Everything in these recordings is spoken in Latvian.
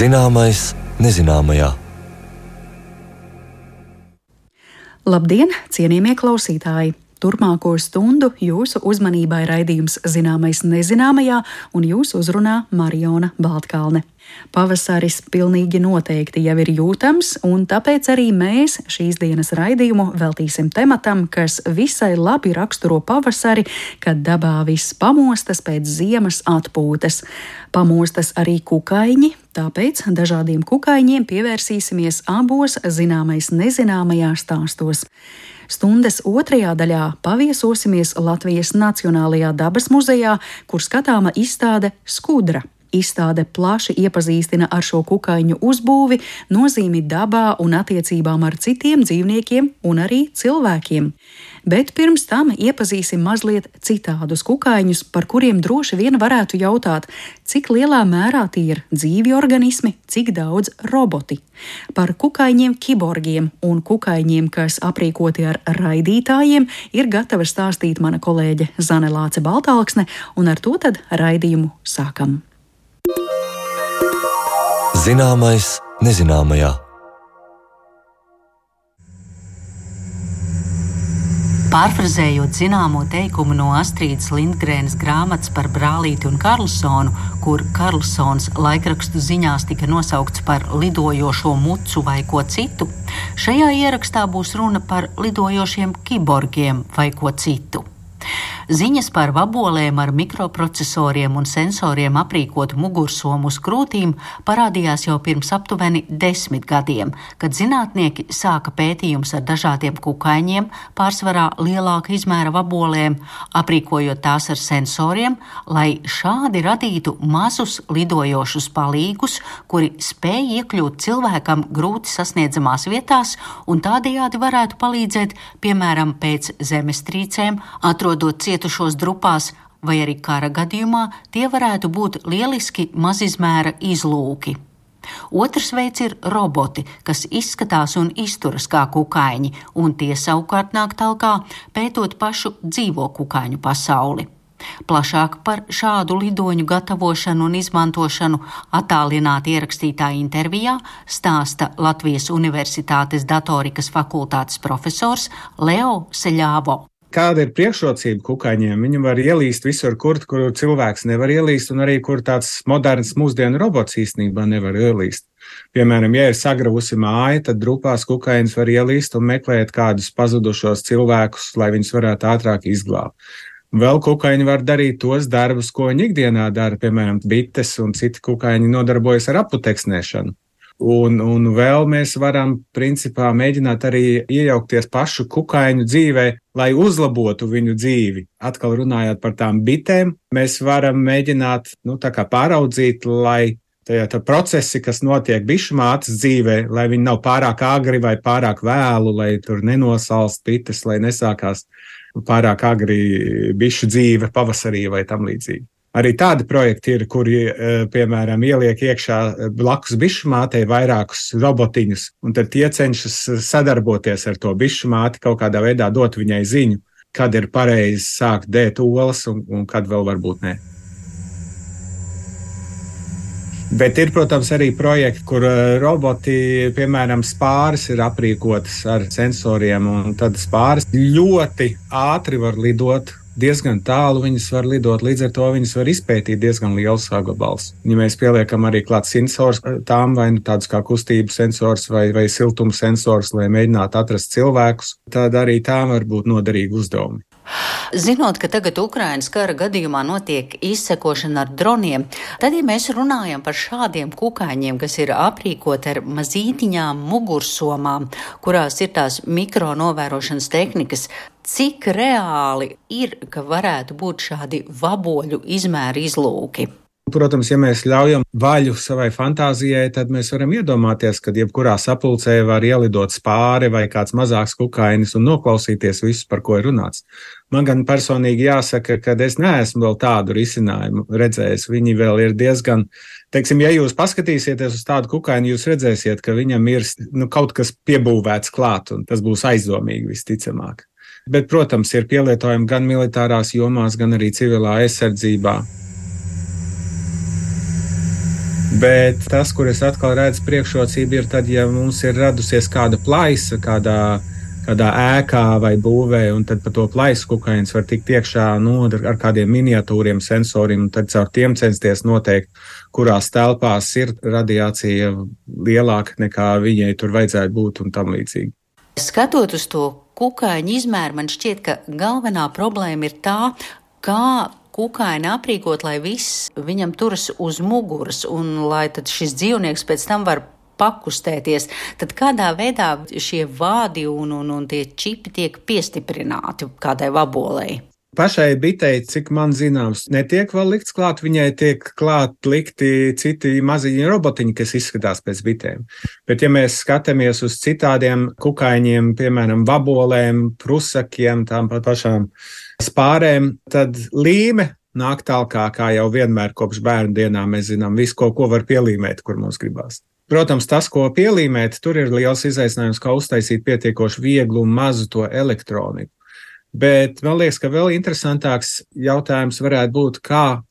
Zināmais nezināmajā. Labdien, cienījamie klausītāji! Turpmāko stundu jūsu uzmanībai raidījums Zināmais nezināmajā un jūs uzrunā Mariona Baltkalne. Pavasaris pilnīgi noteikti jau ir jūtams, un tāpēc arī mēs šīs dienas raidījumu veltīsim tematam, kas visai labi raksturo pavasari, kad dabā viss pamostas pēc ziemas atpūtas. Pamostas arī kukaiņi, tāpēc dažādiem kukaiņiem pievērsīsimies abos Zināmais nezināmajā stāstos. Stundas otrajā daļā paviesosimies Latvijas Nacionālajā dabas muzejā, kur skatāma izstāde Skudra. Izstāde plaši iepazīstina ar šo kukaiņu uzbūvi, nozīmi dabā un attiecībām ar citiem dzīvniekiem un arī cilvēkiem. Bet pirms tam iepazīsim mazliet citādus kukaiņus, par kuriem droši vien varētu jautāt, cik lielā mērā tie ir dzīvi organismi, cik daudz roboti. Par kukaiņiem kiborgiem un kukaiņiem, kas aprīkoti ar raidītājiem, ir gatava stāstīt mana kolēģe Zane Lāce Baltalksne, un ar to tad raidījumu sākam. Zināmais nezināmajā. Pārfrazējot zināmo teikumu no Astrīdas Lindgrēnas grāmatas par brālīti un Karlsonu, kur Karlsons laikrakstu ziņās tika nosaukts par lidojošo mucu vai ko citu, šajā ierakstā būs runa par lidojošiem kiborgiem vai ko citu. Ziņas par vabolēm ar mikroprocesoriem un sensoriem aprīkotu mugursomu uz krūtīm parādījās jau pirms aptuveni 10 gadiem, kad zinātnieki sāka pētījumus ar dažādiem kukaiņiem, pārsvarā lielāka izmēra vabolēm, aprīkojot tās ar sensoriem, lai šādi radītu mazus lidojošus palīgus, kuri spēj iekļūt cilvēkam grūti sasniedzamās vietās un tādējādi varētu palīdzēt, piemēram, pēc zemestrīcēm, atrodot cietušos drupās, vai arī kara gadījumā tie varētu būt lieliski mazizmēra izlūki. Otrs veids ir roboti, kas izskatās un izturas kā kukaiņi, un tie savukārt nāk talkā pētot pašu dzīvo kukaiņu pasauli. Plašāk par šādu lidoņu gatavošanu un izmantošanu attālināti ierakstītā intervijā stāsta Latvijas Universitātes datorikas fakultātes profesors Leo Seļāvo. Kāda ir priekšrocība kukaiņiem? Viņi var ielīst visur, kur cilvēks nevar ielīst, un arī kur tāds moderns mūsdienu robots īstenībā nevar ielīst. Piemēram, ja ir sagravusi māja, tad drupās kukaiņus var ielīst un meklēt kādus pazudušos cilvēkus, lai viņus varētu ātrāk izglābt. Vēl kukaiņi var darīt tos darbus, ko viņi ikdienā dara, piemēram, bites un citi kukaiņi nodarbojas ar aputeksnēšanu. Un vēl mēs varam, principā, mēģināt arī iejaukties pašu kukaiņu dzīvē, lai uzlabotu viņu dzīvi. Atkal runājot par tām bitēm, mēs varam mēģināt, pāraudzīt, lai tā procesi, kas notiek bišu mātes dzīvē, lai viņi nav pārāk agri vai pārāk vēlu, lai tur nenosalst bites, lai nesākās pārāk agri bišu dzīve pavasarī vai tam līdzīgi. Arī tādi projekti ir, kuri, piemēram, ieliek iekšā blakus bišu mātei vairākus robotiņus, un tad tie cenšas sadarboties ar to bišu māti, kaut kādā veidā dot viņai ziņu, kad ir pareizi sākt dēt olas un kad vēl varbūt ne. Bet ir, protams, arī projekti, kur roboti, piemēram, spāris ir aprīkotas ar sensoriem, un tad spāris ļoti ātri var lidot. Diezgan tālu viņas var lidot, līdz ar to viņas var izpētīt diezgan liels sagabals. Ja mēs pieliekam arī klāt sensors tām, vai tādus kā kustību sensors vai siltuma sensors, lai mēģinātu atrast cilvēkus, tad arī tām var būt noderīgi uzdevumi. Zinot, ka tagad Ukrainas kara gadījumā notiek izsekošana ar droniem, tad, ja mēs runājam par šādiem kukaiņiem, kas ir aprīkoti ar mazītiņām mugursomām, kurās ir tās mikronovērošanas tehnikas, cik reāli ir, ka varētu būt šādi vaboļu izmēra izlūki? Protams, ja mēs ļaujam vaļu savai fantāzijai, tad mēs varam iedomāties, ka jebkurā sapulcē var ielidot spāri vai kāds mazāks kukainis un noklausīties visu, par ko ir runāts. Man gan personīgi jāsaka, ka es neesmu vēl tādu risinājumu redzējis. Viņi vēl ir diezgan, ja jūs paskatīsieties uz tādu kukaini, jūs redzēsiet, ka viņam ir kaut kas piebūvēts klāt, un tas būs aizdomīgi visticamāk. Bet, protams, ir pielietojumi gan militārās jomās, gan arī civilā aizsardzībā. Bet tas, kur es atkal redzu priekšrocību, ir tad, ja mums ir radusies kāda plaisa, kādā ēkā vai būvē, un tad pa to plaisu kukainis var tikt iekšā ar kādiem miniatūriem sensoriem, un tad caur tiem censties noteikt, kurās telpās ir radiācija lielāka nekā viņai tur vajadzētu būt un tam līdzīgi. Skatot uz to kukaiņu izmēru, man šķiet, ka galvenā problēma ir tā, kā kukaini aprīkot, lai viss viņam turas uz muguras un lai tad šis dzīvnieks pēc tam var pakustēties. Tad kādā veidā šie vādi un tie čipi tiek piestiprināti kādai vabolei? Pašai bitei, cik man zināms, netiek vēl likts klāt, viņai tiek klāt likti citi maziņi robotiņi, kas izskatās pēc bitēm. Bet ja mēs skatāmies uz citādiem kukaiņiem, piemēram, vabolēm, prusakiem, tām pašām spārēm, tad līme nāk tālāk, kā jau vienmēr kopš bērnu dienām mēs zinām visu, ko var pielīmēt, kur mums gribās. Protams, tas, ko pielīmēt, tur ir liels izaicinājums, kā uztaisīt pietiekoši vieglu un mazu to elektroniku. Bet man liekas, ka vēl interesantāks jautājums varētu būt, kā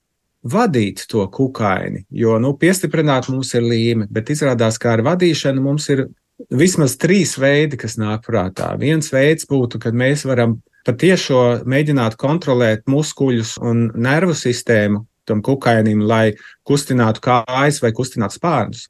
vadīt to kukaini, jo, piestiprināt mums ir līme, bet izrādās, ka ar vadīšanu mums ir vismaz 3 veidi, kas nāk prātā. Viens veids būtu, kad mēs varam patiešo mēģināt kontrolēt muskuļus un nervu sistēmu tam kukainim, lai kustinātu kājas vai kustinātu spārnus.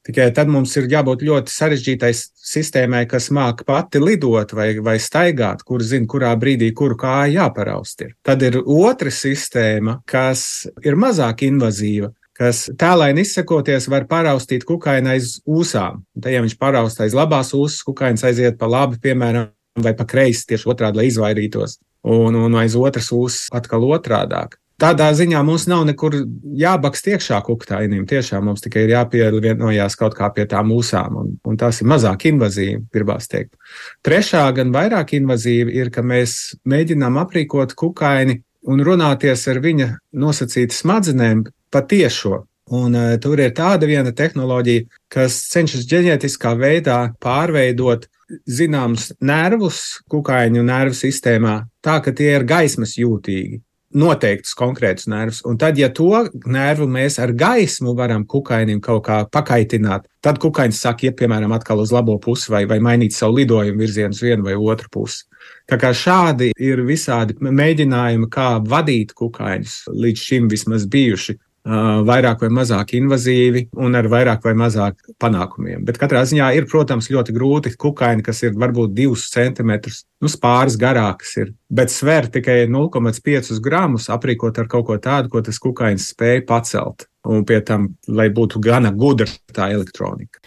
Tikai tad mums ir jābūt ļoti sarežģītai sistēmai, kas māk pati lidot vai staigāt, kur zina, kurā brīdī kuru kāju jāparaust ir. Tad ir otra sistēma, kas ir mazāk invazīva, kas tēlaini izsakoties var paraustīt kukaini aiz ūsām. Tad, ja viņš paraust aiz labās ūsas, kukainis aiziet pa labi, piemēram, vai pa kreisi tieši otrādi, lai izvairītos, un aiz otras ūsas atkal otrādāk. Tādā ziņā mums nav nekur jābakst iekšā kukainim, tiešām mums tikai ir jāpievienojās kaut kā pie tām ūsām, un tās ir mazāk invazīvi, gribās teikt. Trešā, gan vairāk invazīva, ir, ka mēs mēģinām aprīkot kukaini un runāties ar viņa nosacītu smadzenēm patiešo. Un tur ir tāda viena tehnoloģija, kas cenšas ģenētiskā veidā pārveidot zināmus nervus kukaiņu nervu sistēmā, tā, ka tie ir gaismas jūtīgi. Noteiktus konkrētus nervus. Un tad, ja to nervu mēs ar gaismu varam kukainim kaut kā pakaitināt, tad kukainis sāk iet, piemēram, atkal uz labo pusi vai mainīt savu lidojumu virzienu uz vienu vai otru pusi. Tā kā šādi ir visādi mēģinājumi, kā vadīt kukaiņus, līdz šim vismaz bijuši vairāk vai mazāk invazīvi un ar vairāk vai mazāk panākumiem. Bet katrā ziņā ir, protams, ļoti grūti kukaini, kas ir varbūt 2 centimetrus, pāris garākas ir, bet sver tikai 0,5 gramus aprīkot ar kaut ko tādu, ko tas kukainis spēja pacelt. Un pie tam, lai būtu gana gudra tā elektronika.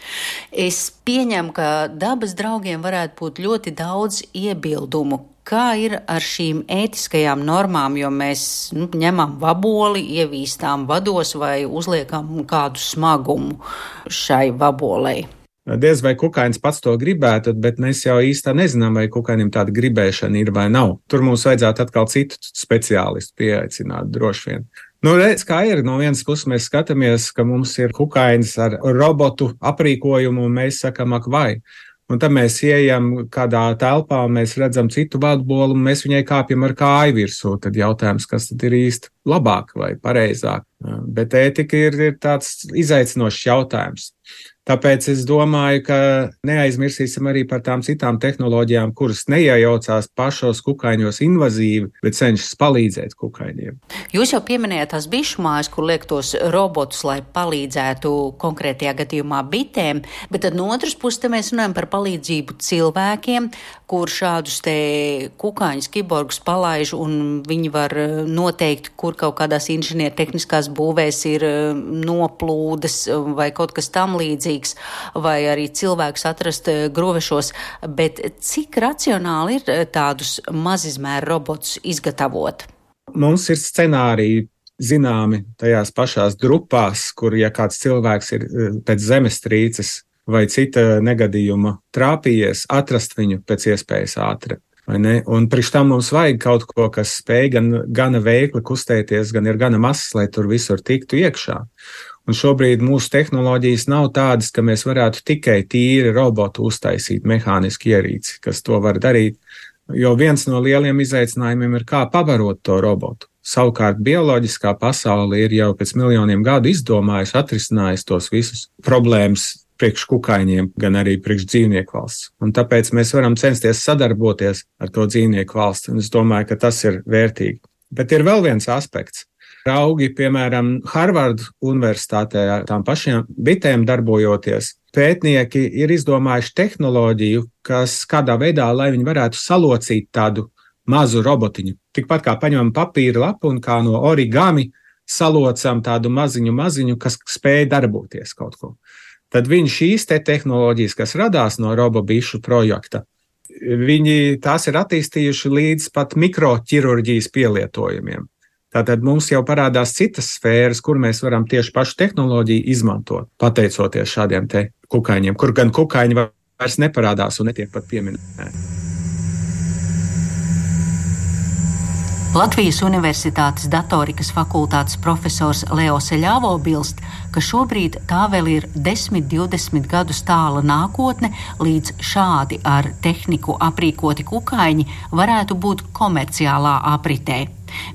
Es pieņemu, ka dabas draugiem varētu būt ļoti daudz iebildumu. Kā ir ar šīm ētiskajām normām, jo mēs ņemam vaboli, ievīstām vados vai uzliekam kādu smagumu šai vabolei? Diez vai kukainis pats to gribētu, bet mēs jau īstā nezinām, vai kukainim tāda gribēšana ir vai nav. Tur mums vajadzētu atkal citu speciālistu pieaicināt droši vien. Redz, kā ir. No vienas puses mēs skatāmies, ka mums ir kukainis ar robotu aprīkojumu, un mēs sakam, ak vai. Un tad mēs ieejam kādā telpā, mēs redzam citu vabolu, un mēs viņai kāpjam ar kāju virsū. Tad jautājums, kas tad ir īsti labāk vai pareizāk. Bet ētika ir tāds izaicinošs jautājums. Tāpēc es domāju, ka neaizmirsīsim arī par tām citām tehnoloģijām, kuras neiejaucās pašos kukaiņos invazīvi, bet cenšas palīdzēt kukaiņiem. Jūs jau pieminējāt tās bišu mājas, kur liek tos robotus, lai palīdzētu konkrētajā gadījumā bitēm, bet tad no otras puses te mēs runājam par palīdzību cilvēkiem, kur šādus te kukaiņus, kiborgus palaiž, un viņi var noteikt, kur kaut kādās inženiertehniskās būvēs ir noplūdes vai kaut kas tam līdzīgs, vai arī cilvēks atrast gruvešos, bet cik racionāli ir tādus mazizmēru robotus izgatavot? Mums ir scenāriji zināmi tajās pašās drupās, kur, ja kāds cilvēks ir pēc zemestrīces vai cita negadījuma trāpījies, atrast viņu pēc iespējas ātri. Un priekš tam mums vajag kaut ko, kas spēj gana veikli kustēties, gan ir gana mazs, lai tur visur tiktu iekšā. Un šobrīd mūsu tehnoloģijas nav tādas, ka mēs varētu tikai tīri robotu uztaisīt mehāniski ierīci, kas to var darīt. Jo viens no lieliem izaicinājumiem ir, kā pabarot to robotu. Savukārt bioloģiskā pasaule ir jau pēc miljoniem gadu izdomājusi, atrisinājusi tos visus problēmas priekš kukaiņiem, gan arī priekš dzīvnieku valsts. Un tāpēc mēs varam censties sadarboties ar to dzīvnieku valsti. Un es domāju, ka tas ir vērtīgi. Bet ir vēl viens aspekts. Raugi, piemēram, Harvardu universitātē ar tām pašiem bitēm darbojoties, pētnieki ir izdomājuši tehnoloģiju, kas kādā veidā, lai viņi varētu salocīt tādu mazu robotiņu. Tikpat kā paņemam papīra lapu un kā no origami salocam tādu maziņu, kas spēj darboties kaut ko. Tad viņi šīs tehnoloģijas, kas radās no robobišu projekta, viņi tās ir attīstījuši līdz pat mikroķirurģijas pielietojumiem. Tātad mums jau parādās citas sfēras, kur mēs varam tieši pašu tehnoloģiju izmantot, pateicoties šādiem te kukaiņiem, kur gan kukaiņi vairs neparādās un netiek pat pieminēti. Latvijas Universitātes datorikas fakultātes profesors Leo Seļāvo bilst, ka šobrīd tā vēl ir 10-20 gadus tāla nākotne, līdz šādi ar tehniku aprīkoti kukaiņi varētu būt komerciālā apritē.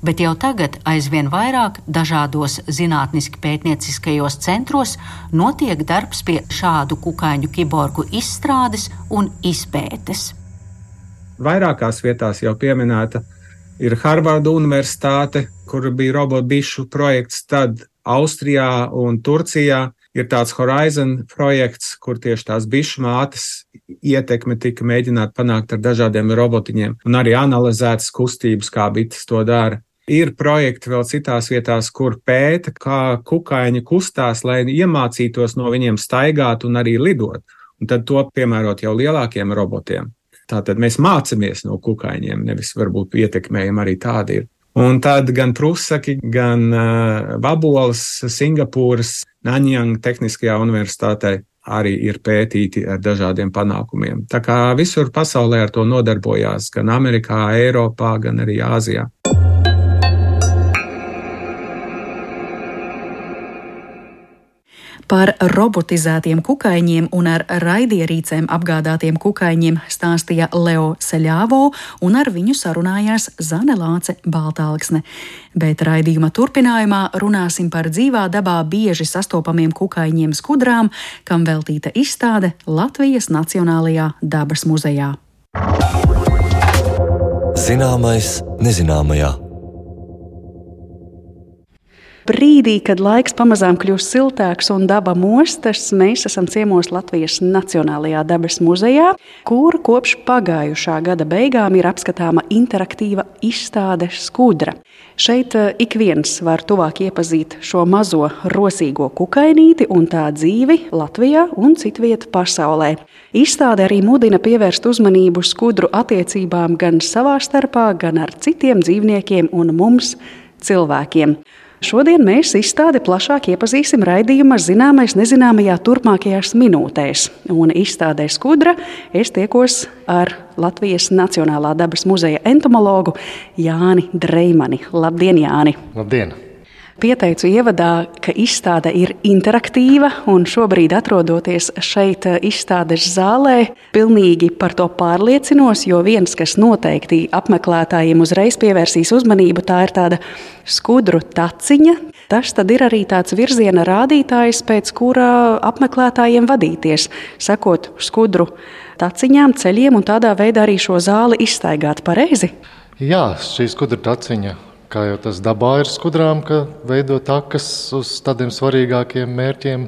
Bet jau tagad aizvien vairāk dažādos zinātniski pētnieciskajos centros notiek darbs pie šādu kukaiņu kiborgu izstrādes un izpētes. Vairākās vietās jau pieminēta ir Harvardu universitāte, kur bija robobišu projekts, tad Austrijā un Turcijā ir tāds Horizon projekts, kur tieši tās bišu mātes ietekme tika mēģināt panākt ar dažādiem robotiņiem un arī analizētas kustības, kā bites to dara. Ir projekti vēl citās vietās, kur pēta, kā kukaiņi kustās, lai iemācītos no viņiem staigāt un arī lidot, un tad to piemērot jau lielākiem robotiem. Tātad mēs mācamies no kukaiņiem, nevis varbūt ietekmējam arī tādi ir. Un tad gan prusaki, gan vaboles Singapūras Nanyang Tehniskajā universitātē arī ir pētīti ar dažādiem panākumiem. Tā kā visur pasaulē ar to nodarbojās, gan Amerikā, Eiropā, gan arī Āzijā. Par robotizētiem kukaiņiem un ar raidierīcēm apgādātiem kukaiņiem stāstīja Leo Seļāvo, un ar viņu sarunājās Zane Lāce Baltālksne. Bet raidījuma turpinājumā runāsim par dzīvā dabā bieži sastopamiem kukaiņiem skudrām, kam veltīta izstāde Latvijas Nacionālajā dabas muzejā. Zināmais nezināmajā. Brīdī, kad laiks pamazām kļūst siltāks un daba mostas, mēs esam ciemos Latvijas Nacionālajā dabas muzejā, kur kopš pagājušā gada beigām ir apskatāma interaktīva izstāde skudra. Šeit ik viens var tuvāk iepazīt šo mazo rosīgo kukainīti un tā dzīvi Latvijā un citviet pasaulē. Izstāde arī mudina pievērst uzmanību skudru attiecībām gan savā starpā, gan ar citiem dzīvniekiem un mums, cilvēkiem. Šodien mēs izstādi plašāk iepazīsim raidījuma Zināmais nezināmajā turpmākajās minūtēs. Un izstādē skudra es tiekos ar Latvijas Nacionālā dabas muzeja entomologu Jāni Dreimani. Labdien, Jāni! Labdien! Pieteicu ievadā, ka izstāde ir interaktīva, un šobrīd atrodoties šeit izstādes zālē, pilnīgi par to pārliecinos, jo viens, kas noteikti apmeklētājiem uzreiz pievērsīs uzmanību, tā ir tāda skudru taciņa. Tas tad ir arī tāds virziena rādītājs, pēc kura apmeklētājiem vadīties, sekot skudru taciņām, ceļiem un tādā veidā arī šo zāli izstaigāt pareizi. Jā, šī skudru taciņa. Kā jau tas dabā ir skudrām, ka veido takas uz tādiem svarīgākiem mērķiem.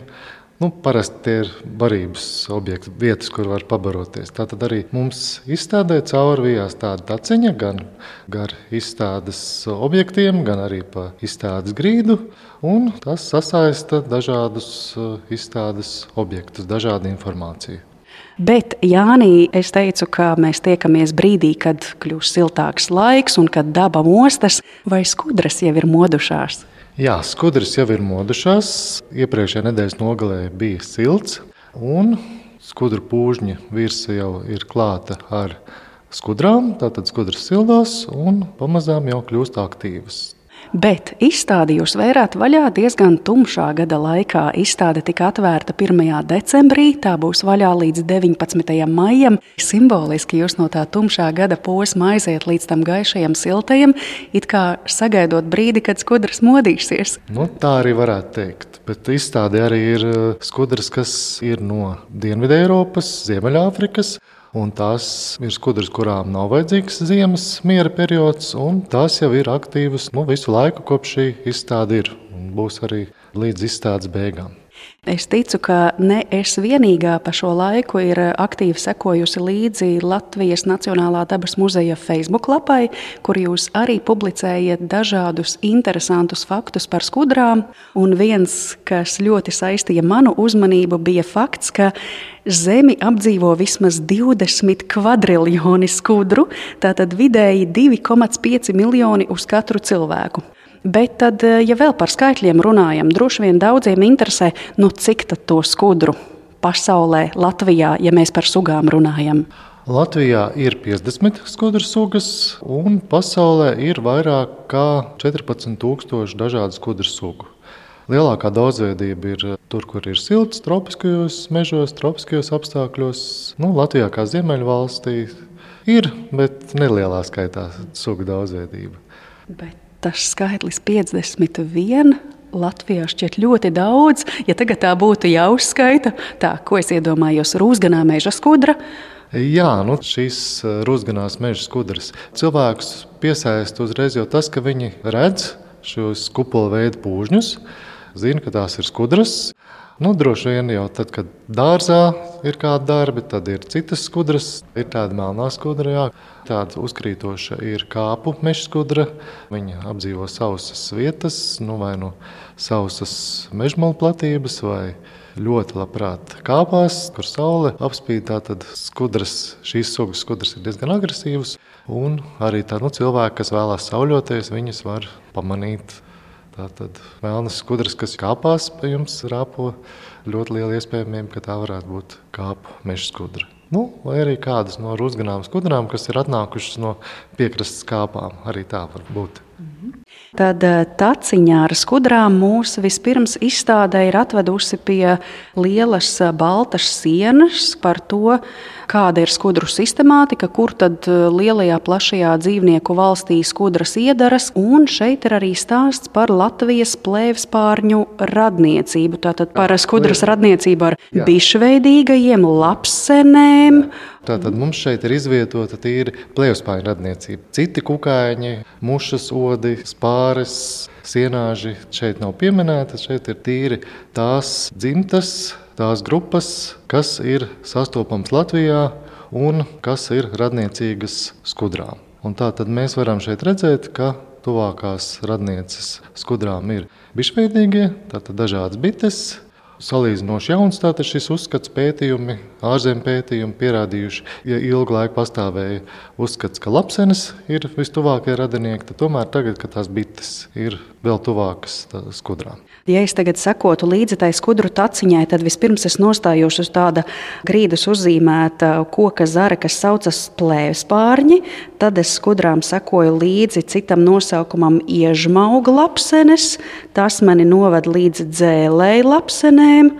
Parasti tie ir barības objekti, vietas, kur var pabaroties. Tātad arī mums izstādē cauri vijās tāda taciņa, gan gar izstādes objektiem, gan arī pa izstādes grīdu. Un tas sasaista dažādus izstādes objektus, dažādu informāciju. Bet, Jānī, es teicu, ka mēs tiekamies brīdī, kad kļūs siltāks laiks un kad daba mostas, vai skudras jau ir modušās? Jā, skudras jau ir modušās. Iepriekšējā nedēļas nogalē bija silts, un skudru pūžņa virsa jau ir klāta ar skudrām. Tātad skudras sildās un pamazām jau kļūst aktīvas. Bet izstādi jūs vērāt vaļā diezgan tumšā gada laikā. Izstāde tika atvērta 1. decembrī, tā būs vaļā līdz 19. maijam. Simboliski jūs no tā tumšā gada posma aiziet līdz tam gaišajam siltajam, it kā sagaidot brīdi, kad skudras modīsies. Tā arī varētu teikt. Bet izstāde arī ir skudras, kas ir no Dienvidu Eiropas, Ziemeļāfrikas. Un tās ir skudras, kurām nav vajadzīgs ziemas miera periods, un tās jau ir aktīvas visu laiku, kopš šī izstāde ir, un būs arī līdz izstādes beigām. Es ticu, ka ne es vienīgā pa šo laiku ir aktīvi sekojusi līdzi Latvijas Nacionālā dabas muzeja Facebook lapai, kur jūs arī publicējat dažādus interesantus faktus par skudrām. Un viens, kas ļoti saistīja manu uzmanību, bija fakts, ka Zemi apdzīvo vismaz 20 kvadriljoni skudru, tātad vidēji 2,5 miljoni uz katru cilvēku. Bet tad, ja vēl par skaitļiem runājam, droši vien daudziem interesē, cik tad to skudru pasaulē, Latvijā, ja mēs par sugām runājam? Latvijā ir 50 skudru sugas, un pasaulē ir vairāk kā 14,000 dažādu skudru sugu. Lielākā daudzveidība ir tur, kur ir silts, tropiskajos mežos, tropiskajos apstākļos. Latvijā kā ziemeļvalstī ir, bet nelielā skaitā sugu daudzveidība. Bet tas skaitlis 51 Latvijā šķiet ļoti daudz. Ja tagad tā būtu jāuzskaita, ko es iedomājos, rūsganā meža skudra? Jā, šīs rūsganās meža skudras cilvēkus piesaista uzreiz jau tas, ka viņi redz šos kupola veidu pūžņus, zina, ka tās ir skudras. Droši vien jau tad, kad dārzā ir kādi darbi, tad ir citas skudras. Ir tāda melnā skudra, jā. Tāda uzkrītoša ir kāpu meža skudra. Viņa apdzīvo sausas vietas, vai sausas mežmalu platības, vai ļoti labprāt kāpās, kur saule apspīd. Tātad šīs sugas skudras ir diezgan agresīvas. Un arī cilvēki, kas vēlās sauļoties, viņas var pamanīt. Tātad melnas skudras, kas kāpās pie jums, rāpo, ļoti liela iespējamība, ka tā varētu būt kāpu meža skudra. Vai arī kādas no rūsganām skudrām, kas ir atnākušas no piekrastes kāpām, arī tā var būt. Tad taciņā ar skudrām mūs vispirms izstādē ir atvedusi pie lielas baltas sienas par to, kāda ir skudru sistemātika, kur tad lielajā plašajā dzīvnieku valstī skudras iedaras, un šeit ir arī stāsts par Latvijas plēvspārņu radniecību, tātad par skudras radniecību ar bišveidīgajiem, lapsenēm. Tātad mums šeit ir izvietota tīri plēvspārņu radniecība. Citi kukaiņi, mušas, odi, spāres, sienāži šeit nav pieminētas, šeit ir tīri tās dzimtas, tās grupas, kas ir sastopams Latvijā un kas ir radniecīgas skudrām. Un tātad mēs varam šeit redzēt, ka tuvākās radnieces skudrām ir bišveidīgie, tātad dažādas bites. Salīdzinoši jauns tātad šis uzskats pētījumi, ārzemju pētījumi pierādījuši, ja ilgu laiku pastāvēja uzskats, ka lapsenes ir vistuvākie radinieki, tad tomēr tagad, kad tās bites ir vēl tuvākas skudrām. Ja es tagad sekotu līdzi tai skudru taciņai, tad vispirms es nostājos uz tāda grīdas uzzīmēta koka zara, kas saucas plēvspārņi, tad es skudrām sekoju līdzi citam nosaukumam iežmauga lapsenes, tas mani noved līdz dzēlēju lapsenēm,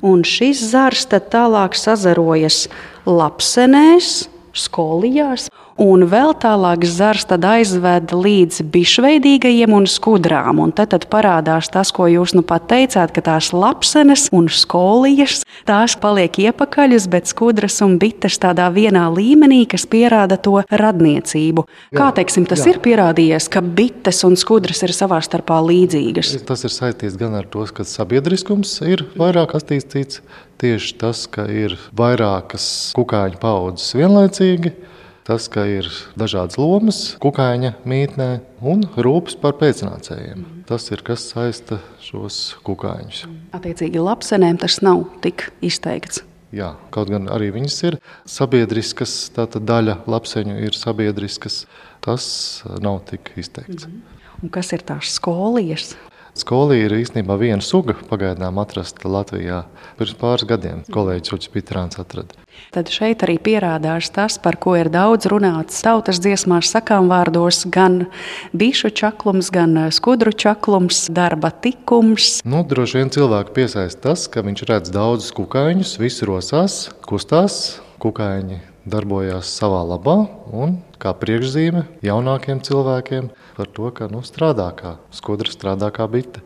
un šis zars tad tālāk sazarojas lapsenēs, skolijās, un vēl tālāk zars tad aizved līdz bišveidīgajiem un skudrām. Un tad parādās tas, ko jūs pat teicāt, ka tās lapsenes un skolijas, tās paliek iepakaļus, bet skudras un bites tādā vienā līmenī, kas pierāda to radniecību. Kā tas ir pierādījies, ka bites un skudras ir savā starpā līdzīgas? Tas ir saistīts gan ar to, ka sabiedriskums ir vairāk attīstīts, tieši tas, ka ir vairākas kukaiņu paudzes vienlaicīgi, tas, ka ir dažādas lomas kukaiņa mītnē un rūpes par pēcnācējiem. Tas ir, kas saista šos kukaiņus. Attiecīgi lapsenēm tas nav tik izteikts. Jā, kaut gan arī viņas ir sabiedriskas, tātad daļa lapseņu ir sabiedriskas, tas nav tik izteikts. Un kas ir tās skolijas? Skolī ir īstenībā viena suga pagaidām atrasta Latvijā. Pirms pāris gadiem kolēģis Uģis Pitrāns atrada. Tad šeit arī pierādās tas, par ko ir daudz runāts tautas dziesmās, sakāmvārdos, gan bišu čaklums, gan skudru čaklums, darba tikums. Droši vien cilvēku piesaista tas, ka viņš redz daudzus kukaiņus, visi rosās, kustās, kukaiņi darbojās savā labā un kā priekšzīme jaunākiem cilvēkiem par to, ka strādā kā skudra, strādā kā bite.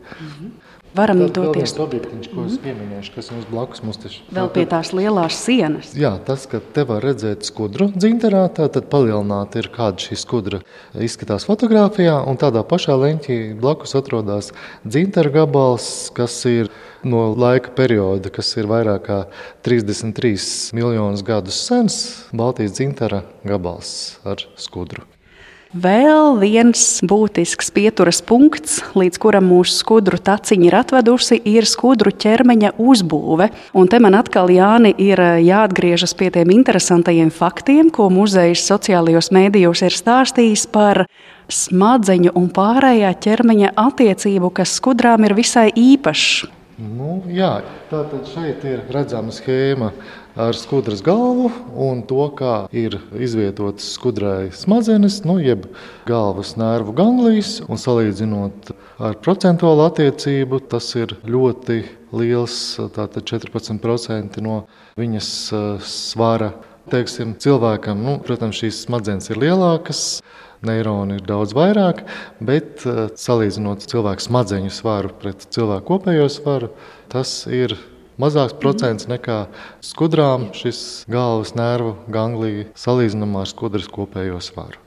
Varam Tad doties. Vēl viens objektiņš, ko es pieminēšu, kas jums blakus mums taču. Vēl pie tās lielās sienas. Jā, tas, ka te var redzēt skudru dzinterā, tad palielināti ir kāda šī skudra izskatās fotogrāfijā, un tādā pašā leņķī blakus atrodas dzintera gabals, kas ir no laika perioda, kas ir vairāk kā 33 miljonus gadus sens, Baltijas dzintera gabals ar skudru. Vēl viens būtisks pieturas punkts, līdz kuram mūsu skudru taciņa ir atvedusi, ir skudru ķermeņa uzbūve. Un te man atkal, Jāni, ir jāatgriežas pie tiem interesantajiem faktiem, ko muzejs sociālajos mēdījos ir stāstījis par smadzeņu un pārējā ķermeņa attiecību, kas skudrām ir visai īpašs. Jā, tātad šeit ir redzama schēma ar skudras galvu un to, kā ir izvietotas skudrai smadzenes, jeb galvas nervu ganglijas. Un salīdzinot ar procentuālu attiecību, tas ir ļoti liels, tātad 14% no viņas svara. Teiksim, cilvēkam, protams, šīs smadzenes ir lielākas, neironi ir daudz vairāk, bet salīdzinot cilvēku smadzeņu svaru pret cilvēku kopējo svaru, tas ir mazāks procents nekā skudrām šis galvas nervu ganglija salīdzinājumā ar skudras kopējo svaru.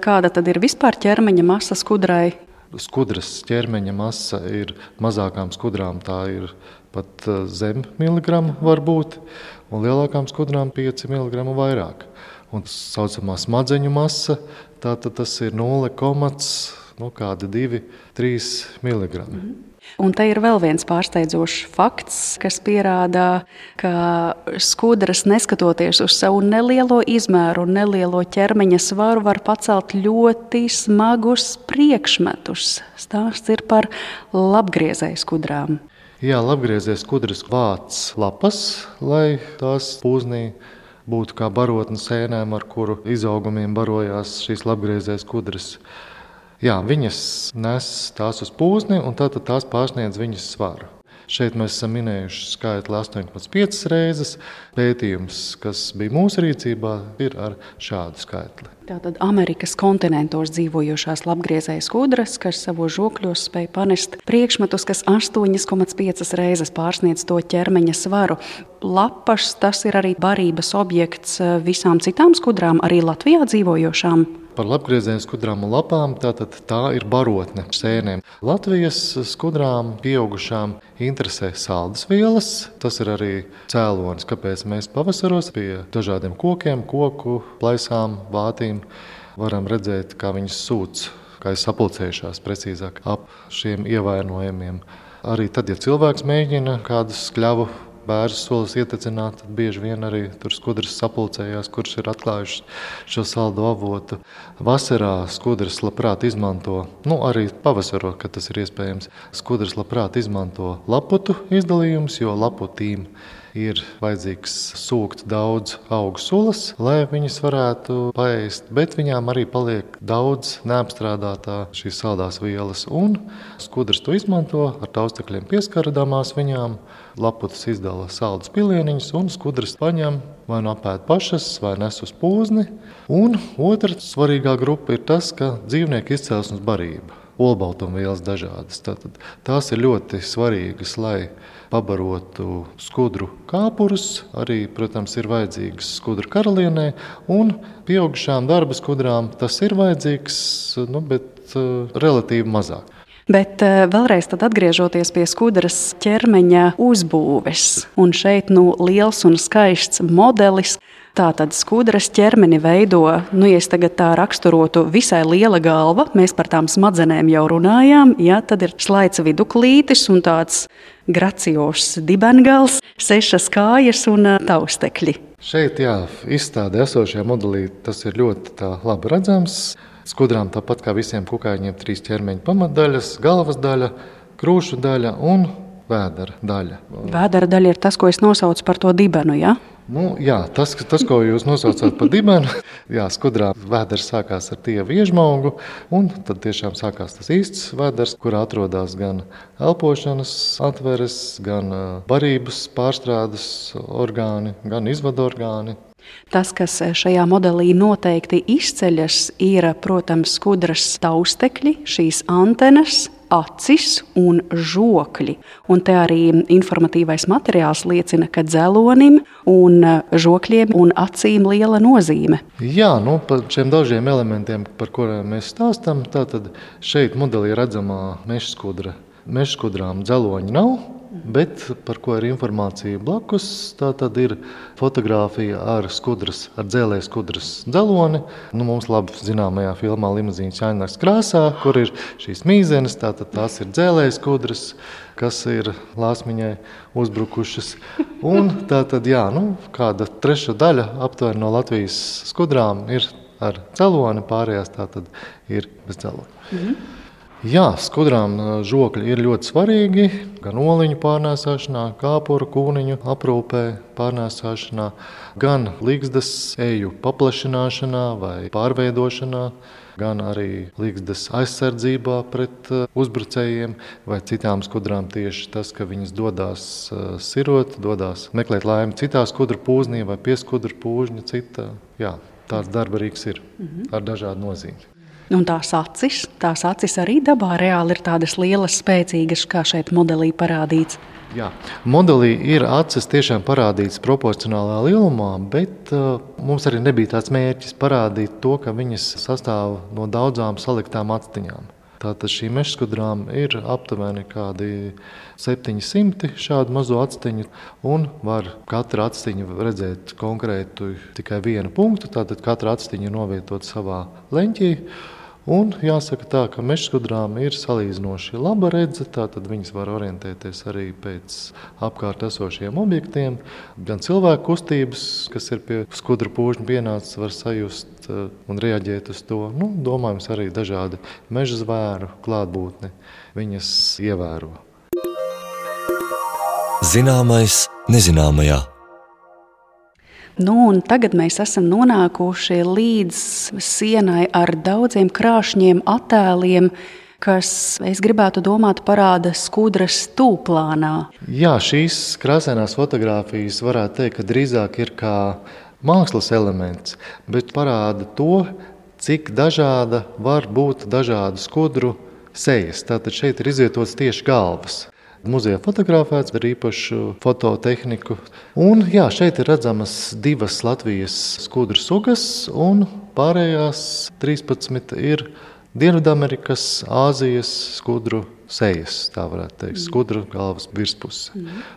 Kāda tad ir vispār ķermeņa masa skudrai? Skudras ķermeņa masa ir mazākām skudrām, tā ir pat zem miligrama var būt, un lielākām skudrām 5 miligramu vairāk. Un tā saucamā smadzeņu masa, tātad tas ir 0,2–3 miligrami. Un te ir vēl viens pārsteidzošs fakts, kas pierāda, ka skudras, neskatoties uz savu nelielo izmēru un nelielo ķermeņa svaru, var pacelt ļoti smagus priekšmetus. Stāsts ir par labgriezēju skudrām. Jā, labgriezēju skudras vāc lapas, lai tās pūznī būtu kā barotne sēnēm, ar kuru izaugumiem barojās šīs labgriezējas skudras. Jā, viņas nes tās uz pūzni, un tātad tās pārsniedz viņas svaru. Šeit mēs esam minējuši skaitli 8,5 reizes. Pētījums, kas bija mūsu rīcībā, ir ar šādu skaitli. Tātad Amerikas kontinentos dzīvojošās labgriezējas skudras, kas savos žokļos spēj panest priekšmetus, kas 8,5 reizes pārsniedz to ķermeņa svaru. Lapas, tas ir arī barības objekts visām citām skudrām, arī Latvijā dzīvojošām. Par labgriezēju skudrām un lapām, tātad tā ir barotne sēnēm. Latvijas skudrām pieaugušām interesē saldas vielas. Tas ir arī cēlonis, kāpēc mēs pavasaros pie dažādiem kokiem, koku plaisām, vātīm varam redzēt, kā viņas sūc, kā ir sapulcējušās precīzāk ap šiem ievainojumiem. Arī tad, ja cilvēks mēģina kādus skļavu bērnu solis ietecināt, tad bieži vien arī tur skudras sapulcējās, kurš ir atklājuši šo saldu avotu. Vasarā skudras labprāt izmanto, arī pavasarā, kad tas ir iespējams, skudras labprāt izmanto laputu izdalījumus, jo laputīm ir vajadzīgs sūkt daudz augu sulas, lai viņas varētu paēst, bet viņām arī paliek daudz neapstrādātā šīs saldās vielas. Un skudras to izmanto, ar taustekļiem pieskaradamās viņām, laputas izdala saldus pilieniņus, un skudras paņem vai nu apēd pašas, vai nes uz pūzni. Un otra svarīgā grupa ir tas, ka dzīvnieku izcelsmes barība. Olbaltumvielas dažādas. Tātad tās ir ļoti svarīgas, lai pabarotu skudru kāpurus. Arī, protams, ir vajadzīgas skudru karalienē, un pieaugušām darba skudrām tas ir vajadzīgs, bet relatīvi mazāk. Bet vēlreiz tad atgriežoties pie skudras ķermeņa uzbūves, un šeit liels un skaists modelis. Tātad skudras ķermeni veido, ja es tagad tā raksturotu, visai liela galva, mēs par tām smadzenēm jau runājām, tad ir slaids viduklītis un tāds gracios dibengals, 6 kājas un taustekļi. Šeit, izstādē esošajā modelī tas ir ļoti labi redzams. Skudrām tāpat kā visiem kukaiņiem 3 ķermeņa pamatdaļas, galvas daļa, krūšu daļa un vēdera daļa. Vēdera daļa ir tas, ko es nosaucu par to dibenu, ja? Jā, tas, ko jūs nosaucāt par dibenu, skudrā vēders sākās ar tievu iežmaugu, un tad tiešām sākās tas īsts vēders, kur atrodas gan elpošanas atveres, gan barības pārstrādes orgāni, gan izvadu orgāni. Tas, kas šajā modelī noteikti izceļas, ir, protams, skudras taustekļi, šīs antenas, acis un žokļi. Un te arī informatīvais materiāls liecina, ka dzelonim un žokļiem un acīm liela nozīme. Jā, par šiem dažiem elementiem, par kuriem mēs stāstam, tātad šeit modelī redzamā meža skudra. Meža skudrām dzeloņi nav, bet par ko ir informācija blakus, tā tad ir fotogrāfija ar dzēlē skudras dzeloni. Mums labi zināmajā filmā Limuzīnas Jāņnaks krāsā, kur ir šīs mīzenes, tātad tās ir dzēlē skudras, kas ir lāsmiņai uzbrukušas. Un tātad, kāda treša daļa aptuveni no Latvijas skudrām ir ar dzeloni, pārējās tātad ir bez dzeloni. Jā, skudrām žokļi ir ļoti svarīgi gan oliņu pārnēsāšanā, kāpuru, kūniņu aprūpē pārnēsāšanā, gan ligzdas eju paplašināšanā vai pārveidošanā, gan arī ligzdas aizsardzībā pret uzbrucējiem vai citām skudrām tieši tas, ka viņas dodās sirot, dodās meklēt laimi citā skudru pūznī vai pie skudru pūžņa cita. Jā, tāds darba rīks ir ar dažādu nozīmi. Un tās acis arī dabā reāli ir tādas lielas, spēcīgas, kā šeit modelī parādīts. Jā, modelī ir acis tiešām parādīts proporcionālā lielumā, bet mums arī nebija tāds mērķis parādīt to, ka viņas sastāv no daudzām saliktām actiņām. Tātad šīm mežskudrām ir aptuveni kādi 700 šādu mazo actiņu, un var katra actiņa redzēt konkrētu tikai vienu punktu, tātad katra actiņa ir novietota savā leņķī. Un jāsaka tā, ka mežskudrām ir salīdzinoši laba redze, tātad viņas var orientēties arī pēc apkārt esošiem objektiem. Gan cilvēku kustības, kas ir pie skudru pūžņa pienācis, var sajust un reaģēt uz to. Domājams, arī dažādi meža zvēru klātbūtni viņas ievēro. Zināmais nezināmajā. Un tagad mēs esam nonākuši līdz sienai ar daudziem krāšņiem attēliem, kas, es gribētu domāt, parāda skudras tūplānā. Jā, šīs krāsainās fotogrāfijas varētu teikt, ka drīzāk ir kā mākslas elements, bet parāda to, cik dažāda var būt dažādu skudru sejas. Tātad šeit ir izvietotas tieši galvas. Muzejā fotografēts ar īpašu fototehniku. Un šeit ir redzamas 2 Latvijas skudru sugas, un pārējās 13 ir Dienvidamerikas, Āzijas skudru sejas, tā varētu teikt, skudru galvas virspuse.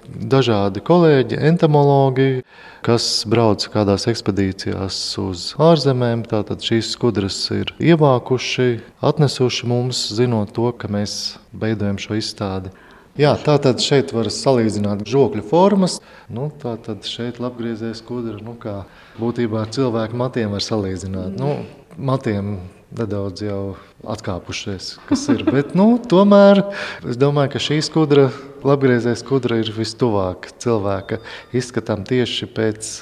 Dažādi kolēģi, entomologi, kas brauc kādās ekspedīcijās uz ārzemēm, tātad šīs skudras ir ievākuši, atnesuši mums, zinot to, ka mēs veidojam šo izstādi. Jā, tātad šeit var salīdzināt žokļu formas. Tātad šeit labgriezēja skudra, kā būtībā ar cilvēku matiem var salīdzināt. Matiem nedaudz jau atkāpušies, kas ir. Bet, tomēr es domāju, ka šī skudra, labgriezēja skudra ir vistuvāk cilvēka izskatām tieši pēc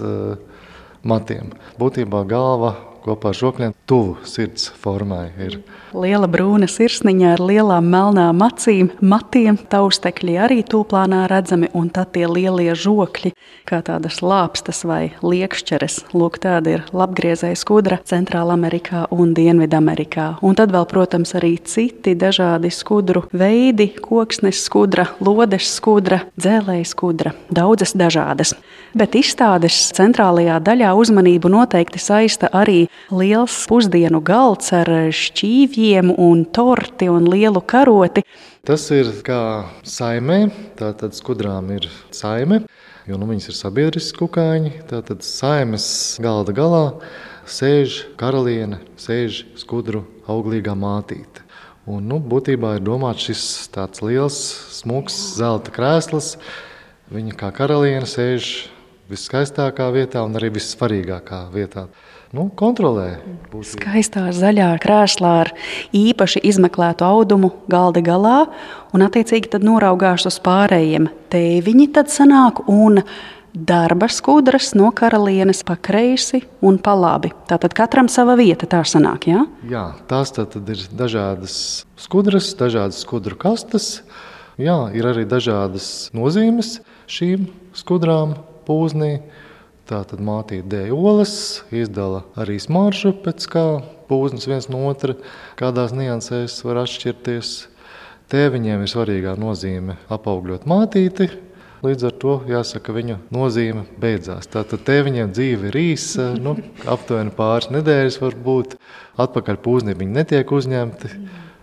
matiem. Būtībā galva kopā ar žokļiem tuvu sirds formai ir. Liela brūna sirsniņa ar lielām melnām acīm, matiem, taustekļi arī tūplānā redzami, un tad tie lielie žokļi, kā tādas lāpstas vai liekšķeres. Lūk, tāda ir labgriezēja skudra Centrālamerikā un Dienvidamerikā. Un tad vēl, protams, arī citi dažādi skudru veidi, koksnes skudra, lodes skudra, dzēlēja skudra, daudzas dažādas. Bet izstādes centrālajā daļā uzmanību noteikti saista arī liels pusdienu galds ar šķīvjiem un torti un lielu karoti. Tas ir kā saimē, tātad skudrām ir saime, jo viņas ir sabiedriski kukaiņi. Tātad saimes galda galā sēž karaliene, sēž skudru auglīgā mātīte. Un, būtībā ir domāts šis tāds liels, smuks zelta krēsls. Viņa kā karaliene sēž viskaistākā vietā un arī vissvarīgākā vietā. Kontrolē. Skaistā zaļā krēslā ar īpaši izmeklētu audumu galda galā, un attiecīgi tad noraugās uz pārējiem. Tēviņi tad sanāk un darba skudras no karalienes pa kreisi un pa labi. Tātad katram sava vieta tā sanāk, jā? Jā, tās tad ir dažādas skudras, dažādas skudru kastes. Jā, ir arī dažādas nozīmes šīm skudrām pūznī. Tātad mātīte dēj olas, izdala arī smaržu, pēc kā pūznis viens no otra, kādās niansēs var atšķirties. Tēviņiem ir svarīgā nozīme apaugļot mātīti, līdz ar to jāsaka, viņa nozīme beidzās. Tātad tēviņiem dzīve ir īsa, aptuveni pāris nedēļas var būt, atpakaļ pūznī viņi netiek uzņemti.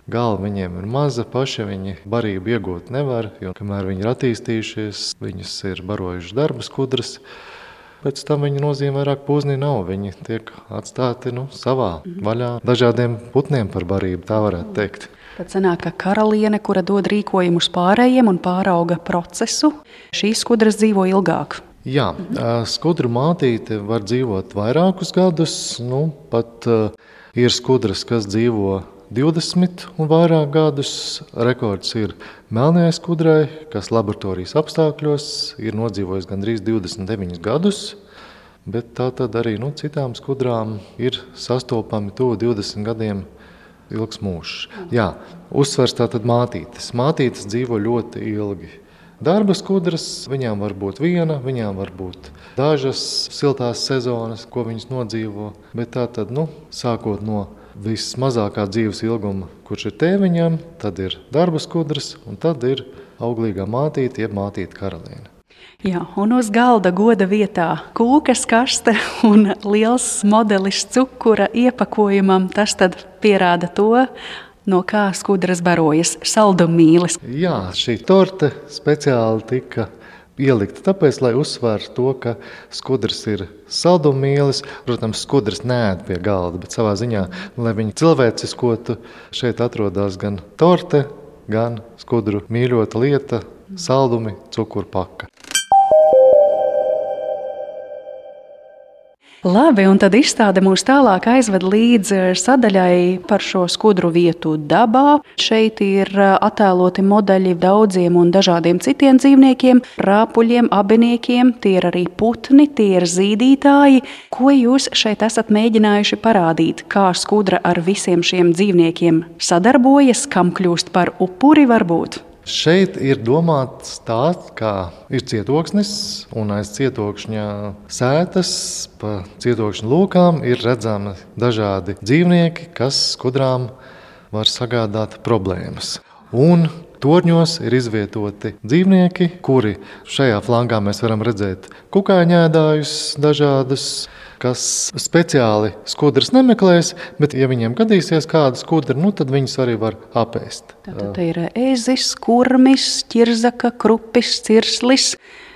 Galva viņiem ir maza, paši viņi barību iegūt nevar, jo kamēr viņi ir attīstījušies, viņus ir barojuši darba skudras. Pēc tam viņa nozīme vairāk pūznī nav. Viņi tiek atstāti savā vaļā dažādiem putniem par barību, tā varētu teikt. Tad sanāk, ka karaliene, kura dod rīkojumus pārējiem un pārauga procesu, šīs skudras dzīvo ilgāk. Jā, skudru mātīte var dzīvot vairākus gadus, pat ir skudras, kas dzīvo 20 un vairāk gadus. Rekords ir melnajai skudrai, kas laboratorijas apstākļos ir nodzīvojis gandrīz 29 gadus, bet tā tad arī citām skudrām ir sastopami tuvu 20 gadiem ilgs mūžs. Jā, uzsvers tātad mātītes. Mātītes dzīvo ļoti ilgi. Darba skudras, viņām var būt viena, viņām var būt dažas siltās sezonas, ko viņas nodzīvo, bet tā tad, sākot no vismazākā dzīves ilguma, kurš ir tēviņam, tad ir darba skudras, un tad ir auglīgā mātīte, jeb mātīte karaliene. Jā, un uz galda goda vietā kūkas kaste un liels modelis cukura iepakojumam, tas tad pierāda to, no kā skudras barojas, saldumīlis. Jā, šī torte speciāli tika ielikta tāpēc, lai uzsvērtu to, ka skudras ir saldumīlis. Protams, skudras neēd pie galda, bet savā ziņā, lai viņi cilvēciskotu, šeit atrodas gan torte, gan skudru mīļota lieta, saldumi, cukurpaka. Labi, un tad izstāde mūs tālāk aizved līdz sadaļai par šo skudru vietu dabā. Šeit ir attēloti modeļi daudziem un dažādiem citiem dzīvniekiem, rāpuļiem, abiniekiem, tie ir arī putni, tie ir zīdītāji. Ko jūs šeit esat mēģinājuši parādīt? Kā skudra ar visiem šiem dzīvniekiem sadarbojas, kam kļūst par upuri varbūt? Šeit ir domāts tāds, kā ir cietoksnis, un aiz cietokšņa sētas pa cietokšņa lūkām ir redzami dažādi dzīvnieki, kas skudrām var sagādāt problēmas. Un torņos ir izvietoti dzīvnieki, kuri šajā flangā mēs varam redzēt kukaiņēdājus dažādus, kas speciāli skudras nemeklēs, bet ja viņiem gadīsies kāda skudra, tad viņus arī var apēst. Tātad ir ezis, kurmis, ķirzaka, krupis, cirslis.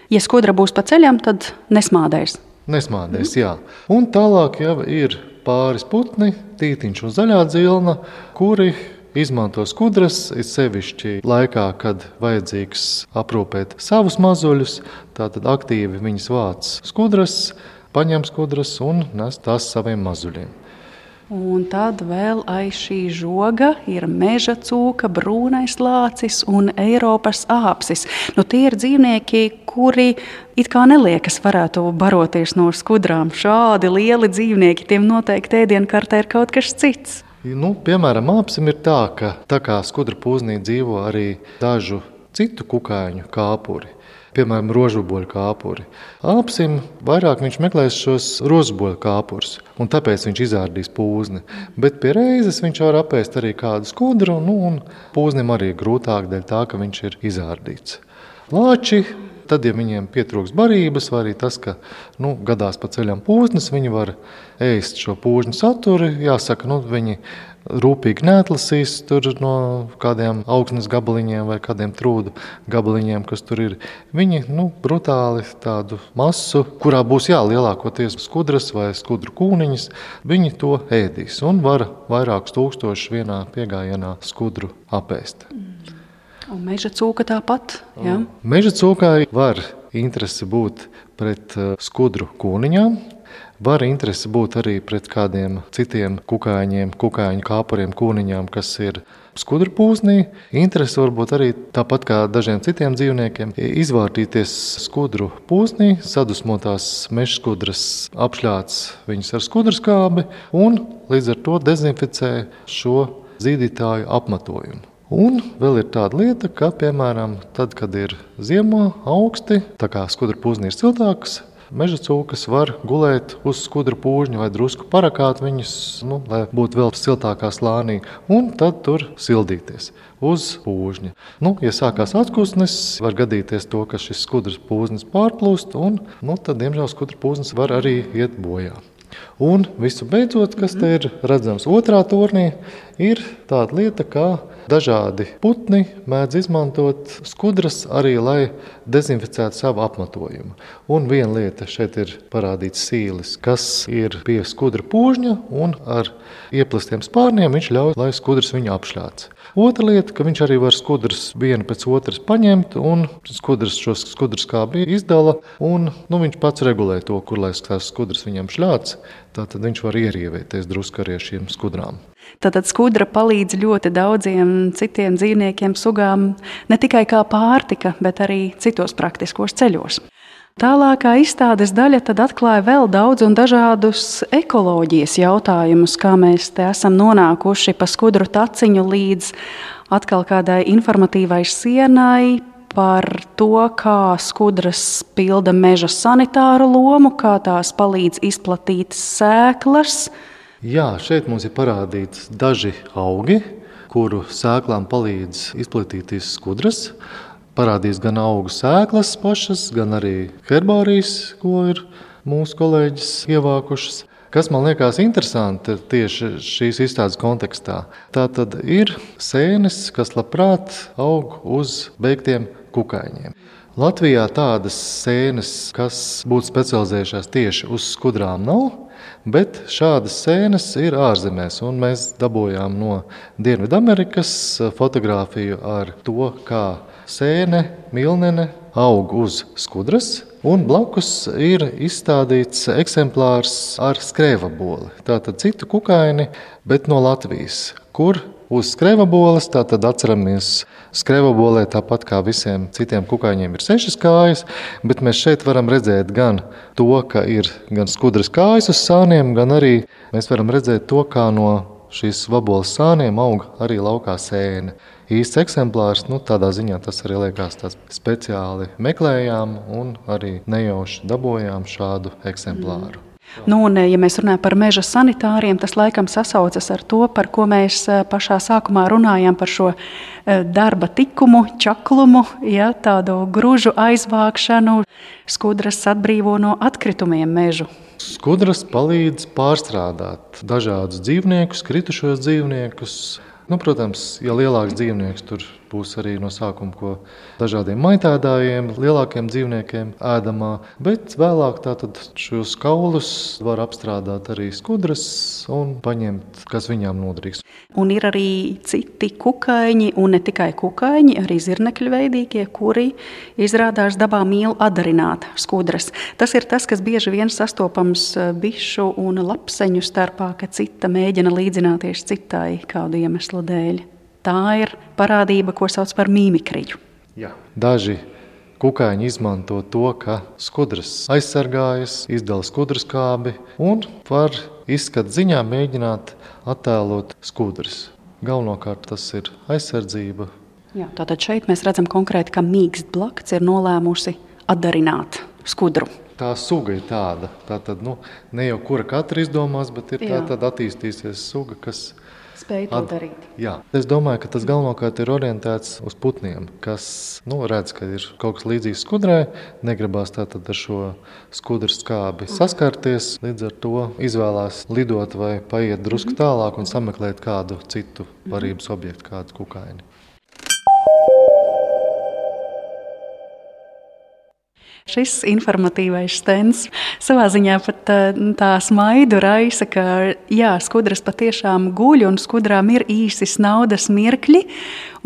Ja skudra būs pa ceļam, tad nesmādēs. Nesmādēs, jā. Un tālāk jau ir pāris putni, tītiņš un zaļā dzilna, kuri izmanto skudras, ir sevišķi laikā, kad vajadzīgs aprūpēt savus mazuļus, tātad aktīvi viņas vāc skudras, paņem skudras un nes tās saviem mazuļiem. Un tad vēl aiz šī žoga ir meža cūka, brūnais lācis un Eiropas āpsis. Tie ir dzīvnieki, kuri it kā neliekas varētu baroties no skudrām. Šādi lieli dzīvnieki, tiem noteikti ēdienkartē ir kaut kas cits. Piemēram, āpsim ir tā kā skudra pūznī dzīvo arī dažu citu kukaiņu kāpuri. Piemēram, rožuboļu kāpuri. Āpsim vairāk viņš meklēs šos rožuboļu kāpurus, un tāpēc viņš izārdīs pūzni. Bet pie reizes viņš var apēst arī kādu skudru, un pūznim arī grūtāk dēļ tā, ka viņš ir izārdīts. Lāči, tad, ja viņiem pietrūks barības, vai arī tas, ka gadās pa ceļam pūznes, viņi var ēst šo pūžņu saturi. Jāsaka, viņi rūpīgi neatlasīs tur no kādiem augsnes gabaliņiem vai kādiem trūdu gabaliņiem, kas tur ir. Viņi brutāli tādu masu, kurā būs lielākoties skudras vai skudru kūniņas, viņi to ēdīs un var vairākus tūkstošus vienā piegājienā skudru apēst. Un meža cūka tāpat, jā? Meža cūkai var interese būt pret skudru kūniņām. Var interese būt arī pret kādiem citiem kukaiņiem, kukaiņu kāpuriem, kūniņām, kas ir skudru pūznī. Interese var būt arī tāpat kā dažiem citiem dzīvniekiem izvārtīties skudru pūznī, sadusmotās mežskudras apšļāc viņus ar skudrskābi un līdz ar to dezinficē šo zīdītāju apmatojumu. Un vēl ir tāda lieta, ka, piemēram, tad, kad ir ziemā augsti, tā kā skudru pūznī ir siltāks, meža cūkas var gulēt uz skudru pūžņa vai drusku parakāt viņus, lai būtu vēl siltākā slānī, un tad tur sildīties uz pūžņa. Ja sākās atkusnes, var gadīties to, ka šis skudras pūznis pārplūst, un tad, diemžēl, skudru pūznis var arī iet bojā. Un visu beidzot, kas te ir redzams otrā tornī, ir tāda lieta, kā dažādi putni mēdz izmantot skudras arī, lai dezinficētu savu apmatojumu. Un viena lieta šeit ir parādīts sīlis, kas ir pie skudra pūžņa, un ar ieplastiem spārniem viņš ļauj, lai skudras viņu apšļāc. Otra lieta, ka viņš arī var skudras vienu pēc otras paņemt, un skudras šo skudrskābi izdala, un viņš pats regulē to, kur lai tās skudras viņam šļāc, tātad viņš var ierievēties drusku arī ar šiem skudrām. Tātad skudra palīdz ļoti daudziem citiem dzīvniekiem, sugām, ne tikai kā pārtika, bet arī citos praktiskos ceļos. Tālākā izstādes daļa tad atklāja vēl daudz un dažādus ekoloģijas jautājumus, kā mēs te esam nonākuši pa skudru taciņu līdz atkal kādai informatīvai sienai par to, kā skudras pilda meža sanitāru lomu, kā tās palīdz izplatīt sēklas. Jā, šeit mums ir parādīts daži augi, kuru sēklām palīdz izplatīties skudras. Parādīs gan augu sēklas pašas, gan arī herbārijas, ko ir mūsu kolēģis ievākušas. Kas man liekas interesanti tieši šīs izstādes kontekstā, tā tad ir sēnes, kas labprāt aug uz beigtiem kukaiņiem. Latvijā tādas sēnes, kas būtu specializējušās tieši uz skudrām, nav, bet šādas sēnes ir ārzemēs, un mēs dabūjām no Dienvidamerikas fotogrāfiju ar to, kā sēne, milnene aug uz skudras, un blakus ir izstādīts eksemplārs ar skrēvaboli. Tātad citu kukaini, bet no Latvijas, kur uz skrēvaboles, tātad atceramies, skrēvabolē tāpat kā visiem citiem kukaiņiem ir 6 kājas, bet mēs šeit varam redzēt gan to, ka ir gan skudras kājas uz sāniem, gan arī mēs varam redzēt to, kā no šīs vaboles sāniem aug arī laukā sēne. Īsts eksemplārs, tādā ziņā tas arī liekas tāds speciāli meklējām un arī nejauši dabojām šādu eksemplāru. Un, ja mēs runājam par meža sanitāriem, tas laikam sasaucas ar to, par ko mēs pašā sākumā runājām par šo darba tikumu, čaklumu, tādu gružu aizvākšanu. Skudras atbrīvo no atkritumiem mežu. Skudras palīdz pārstrādāt dažādus dzīvniekus, kritušos dzīvniekus. Protams, ja lielāks dzīvnieks, tur būs arī no sākuma ko dažādiem maitēdājiem, lielākiem dzīvniekiem ēdamā, bet vēlāk tātad šos kaulus var apstrādāt arī skudras un paņemt, kas viņām noderīgs. Un ir arī citi kukaiņi, un ne tikai kukaiņi, arī zirnekļu veidīgie, kuri izrādās dabā mīl atdarināt skudras. Tas ir tas, kas bieži vien sastopams bišu un lapseņu starpā, ka cita mēģina līdzināties citai kādu iemeslu dēļ. Tā ir parādība, ko sauc par mīmikriju. Jā. Daži kukaiņi izmanto to, ka skudras aizsargājas, izdala skudrskābi un var izskatu ziņā mēģināt attēlot skudras. Galvenokārt tas ir aizsardzība. Jā, tātad šeit mēs redzam konkrēti, ka mīkstblakts ir nolēmusi atdarināt skudru. Tā suga ir tāda. Tātad, ne jau kura katra izdomās, bet ir tātad attīstīsies suga, kas spēj to darīt. Jā. Es domāju, ka tas galvenokārt ir orientēts uz putniem, kas redz, ka ir kaut kas līdzīgs skudrai, negribās tātad ar šo skudras skābi saskarties, līdz ar to izvēlās lidot vai paiet drusku tālāk un sameklēt kādu citu varības objektu, kādu kukaini. Šis informatīvais stends savā ziņā pat tā smaidu raisa, ka skudras patiešām guļ un skudrām ir īsi snaudas mirkļi,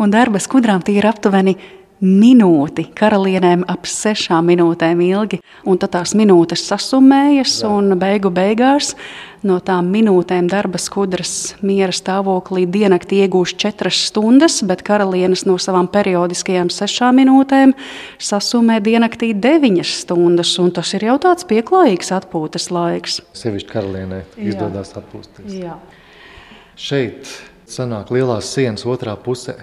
un darba skudrām tie ir aptuveni minūti, karalienēm ap 6 minūtēm ilgi, un tad tās minūtes sasummējas, un beigās no tām minūtēm darba skudras miera stāvoklī diennakti iegūst 4 stundas, bet karalienes no savām periodiskajām 6 minūtēm sasummē diennaktī 9 stundas, un tas ir jau tāds pieklājīgs atpūtas laiks. Sevišķi karalienē izdodas atpūsties. Jā. Šeit sanāk lielās sienas otrā pusē.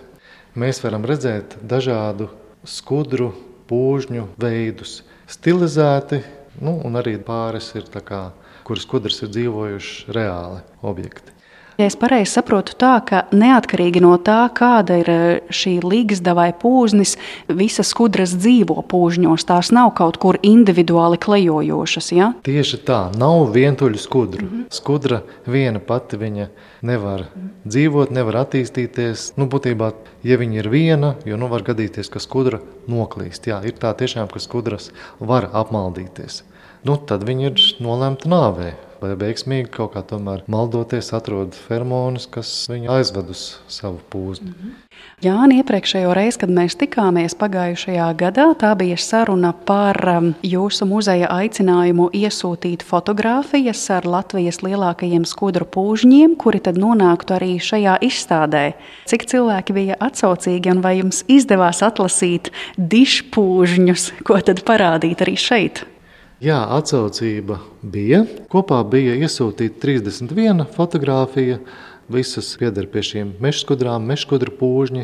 Mēs varam redzēt dažādu skudru, pūžņu veidus, stilizēti, un arī pāris ir tā kā, kuras skudras ir dzīvojuši reāli objekti. Ja es pareizi saprotu tā, ka neatkarīgi no tā, kāda ir šī ligzda vai pūznis, visas skudras dzīvo pūžņos, tās nav kaut kur individuāli klejojošas, ja? Tieši tā, nav vientuļu skudru. Skudra viena pati viņa nevar dzīvot, nevar attīstīties. Būtībā, ja viņa ir viena, jo var gadīties, ka skudra noklīst. Jā, ir tā tiešām, ka skudras var apmaldīties. Tad viņa ir nolemta nāvē. Vai veiksmīgi kaut kā tomēr maldoties atrod feromonus, kas viņu aizved uz savu pūzni. Jāni, iepriekšējo reizi, kad mēs tikāmies pagājušajā gadā, tā bija saruna par jūsu muzeja aicinājumu iesūtīt fotogrāfijas ar Latvijas lielākajiem skudru pūžņiem, kuri tad nonāktu arī šajā izstādē. Cik cilvēki bija atsaucīgi un vai jums izdevās atlasīt dišpūžņus, ko tad parādīt arī šeit? Jā, atsaucība bija. Kopā bija iesūtīta 31 fotogrāfija. Visas pieder pie šīm mežskudrām, mežskudru pūžņi.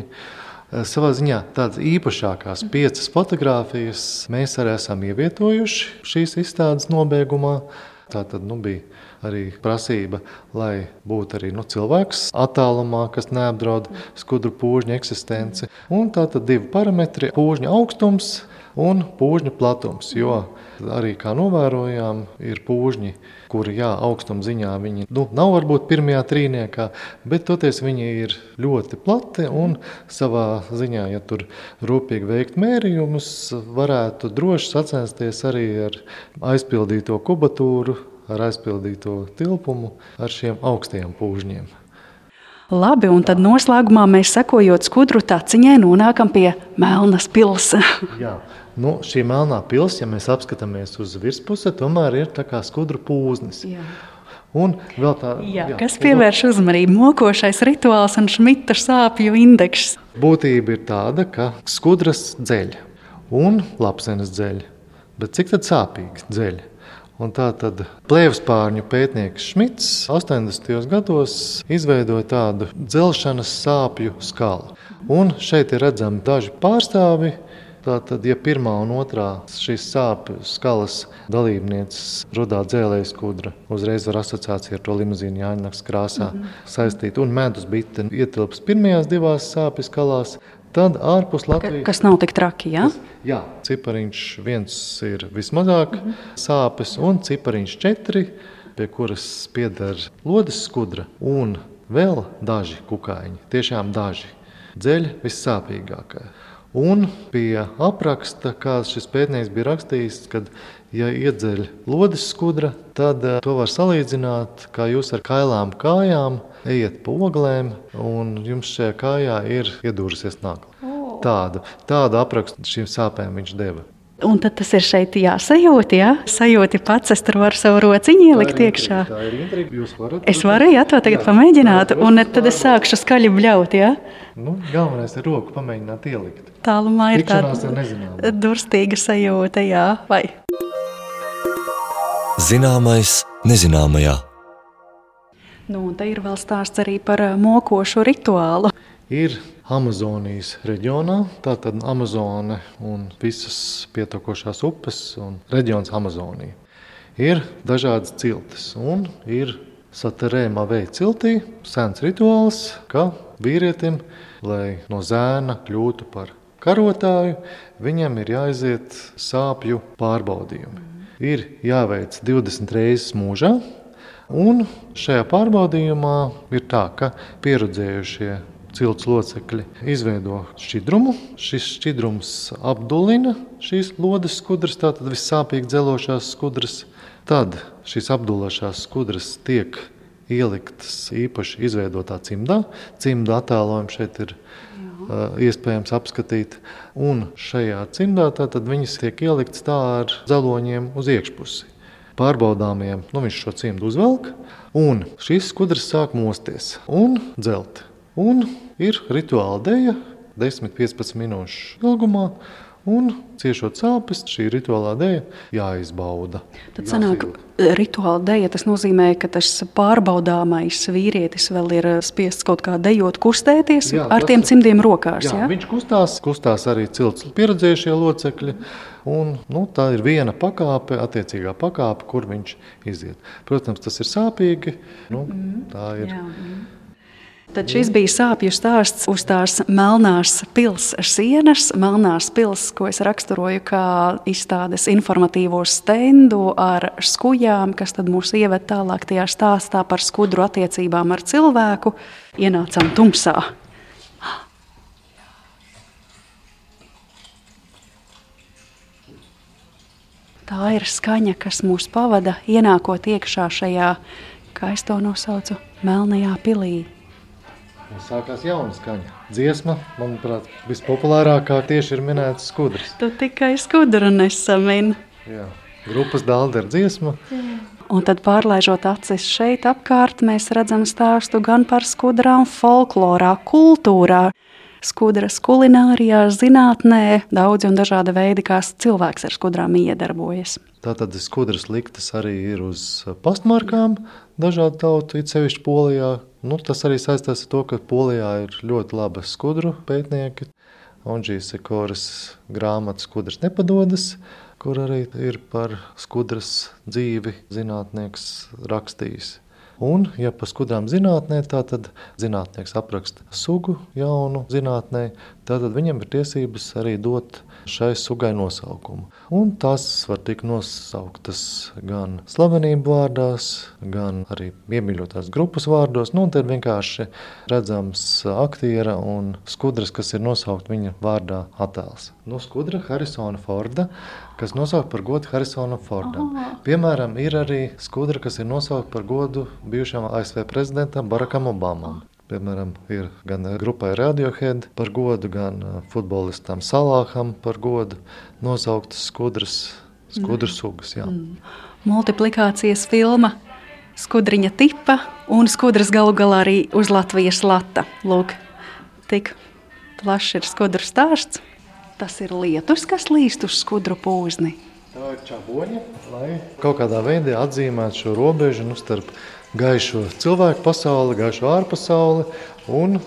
Savā ziņā tādas īpašākās 5 fotogrāfijas mēs arī esam ievietojuši šīs izstādes nobeigumā. Tā tad bija arī prasība, lai būtu arī cilvēks attālumā, kas neapdraud skudru pūžņu eksistenci. Un tā tad 2 parametri - pūžņa augstums un pūžņa platums, jo arī, kā novērojām, ir pūžņi, kuri, augstuma ziņā viņi nav varbūt pirmajā trīniekā, bet toties viņi ir ļoti plati un savā ziņā, ja tur rūpīgi veikt mērījumus, varētu droši sacensties arī ar aizpildīto kubatūru, ar aizpildīto tilpumu, ar šiem augstajiem pūžņiem. Labi, un tad noslēgumā mēs, sekojot skudru taciņai, nonākam pie Melnas pils. Jā. Šī melnā pils, ja mēs apskatāmies uz virspuse, tomēr ir tā kā skudru pūznis. Jā. Un vēl tā, kas pievērš uzmanību, mokošais rituāls un Šmita sāpju indekss. Būtība ir tāda, ka skudras dzeļ un lapsenes dzeļ, bet cik tad sāpīgi dzeļ? Un tā tad plēvspārņu pētnieks Šmits 80. gados izveidoja tādu dzelšanas sāpju skalu. Un šeit ir redzami daži pārstāvi. Tātad, ja pirmā un otrā šīs sāpju skalas dalībnieces rudā dzēlēja skudra, uzreiz var asociācija ar to limuzīnu Jāņnaks krāsā saistīt, un medus bite ietilps pirmajās 2 sāpju skalās, tad ārpus Latvijas... Kas nav tik traki, jā? Jā, cipariņš 1 ir vismazāk sāpes, un cipariņš 4, pie kuras pieder lodes skudra, un vēl daži kukaiņi, tiešām daži, dzeļ vissāpīgākā. Un pie apraksta, kāds šis pētnieks bija rakstījis, kad, ja iedzeļ lodes skudra, tad to var salīdzināt, kā jūs ar kailām kājām ejat pa oglēm, un jums šajā kājā ir iedūrusies nagla. Tādu aprakstu šīm sāpēm viņš deva. Un tad tas ir šeit jāsajūt, jā? Sajūti pats, es tur varu savu rociņu ielikt iekšā. Tā ir intriga, jūs varat. Es varu, to tagad pamēģināt, un tad es sākšu skaļi bļaut, jā? Galvenais ir roku pamēģināt ielikt. Tālumā ir tāda durstīga sajūta, jā, vai? Zināmais nezināmajā. Un te ir vēl stāsts arī par mokošu rituālu. Ir Amazonijas reģionā, tātad Amazone un visas pietekošās upes un reģions Amazonija. Ir dažādas ciltis un ir Saterēmā veja ciltī sens rituāls, ka vīrietim, lai no zēna kļūtu par karotāju, viņam ir jāaiziet sāpju pārbaudījumi. Ir jāveic 20 reizes mūžā, un šajā pārbaudījumā ir tā, ka pieredzējušie cilts locekļi izveido šķidrumu. Šis šķidrums apdulina šīs lodes skudras, tātad vissāpīgi dzelošās skudras. Tad šīs apdulāšās skudras tiek ieliktas īpaši izveidotā cimdā. Cimda attēlojumi šeit ir iespējams apskatīt. Un šajā cimdā tad viņas tiek ieliktas tā ar zaloņiem uz iekšpusi. Pārbaudāmiem, viņš šo cimdu uzvelk, un šis skudrs sāk mosties un dzelt. Un ir rituāla deja 10-15 minūšu ilgumā, un ciešot sāpes, šī rituālā deja jāizbauda. Tad sanāk, rituāla deja, tas nozīmē, ka tas pārbaudāmais vīrietis vēl ir spiests kaut kā dejot, kustēties ar tiem cimdiem rokās. Jā, viņš kustās arī cilts pieredzējušie locekļi, un tā ir viena pakāpe, attiecīgā pakāpe, kur viņš iziet. Protams, tas ir sāpīgi, tā ir. Jā. Tad šis bija sāpju stāsts uz tās melnās pils sienas. Melnās pils, ko es raksturoju kā izstādes informatīvo stendu ar skujām, kas tad mūs ieved tālāk tajā stāstā par skudru attiecībām ar cilvēku. Ienācām tumsā. Tā ir skaņa, kas mūs pavada, ienākot iekšā šajā, kā es to nosaucu, melnajā pilī. Sākās jauna skaņa. Dziesma, manuprāt, vispopulārākā tieši ir minēts skudrs. Tu tikai skudru nesamini. Jā, grupas Dāldera dziesma. Un tad pārlaižot acis šeit apkārt, mēs redzam stāstu gan par skudrām folklorā, kultūrā, skudras kulinārijā, zinātnē, daudzi un dažādi veidi, kā cilvēks ar skudrām iedarbojas. Tātad skudras liktas arī ir uz pastmarkām dažādu tautu, it sevišķi Polijā. Tas arī saistās ar to, ka Polijā ir ļoti labi skudru pētnieki. Ondžijas Sekoras grāmata Skudras nepadodas, kur arī ir par skudras dzīvi zinātnieks rakstījis. Un, ja par skudrām zinātnē, tad zinātnieks apraksta sugu jaunu zinātnē, tad viņam ir tiesības arī dot šai sugai nosaukumu. Un tās var tikt nosauktas gan slavenību vārdās, gan arī iemīļotās grupas vārdos. Te ir vienkārši redzams aktiera un skudras, kas ir nosaukt viņa vārdā attēls. Skudra Harisona Forda, kas nosaukt par godu Harisonam Fordam. Piemēram, ir arī skudra, kas ir nosaukt par godu bijušam ASV prezidentam Barackam Obamam. Piemēram, ir gan grupai Radiohead par godu, gan futbolistam Salāham par godu nosauktas skudru sugas. Jā. Multiplikācijas filma Skudriņa tipa un skudras galu galā arī uz Latvijas lata. Lūk, tik plašs ir skudru stāsts. Tas ir lietus, kas līst uz skudru pūzni. Tā ir čaboņa, lai kaut kādā veidā atzīmētu šo robežu starp gaišo cilvēku pasauli, gaišo ārpasauli un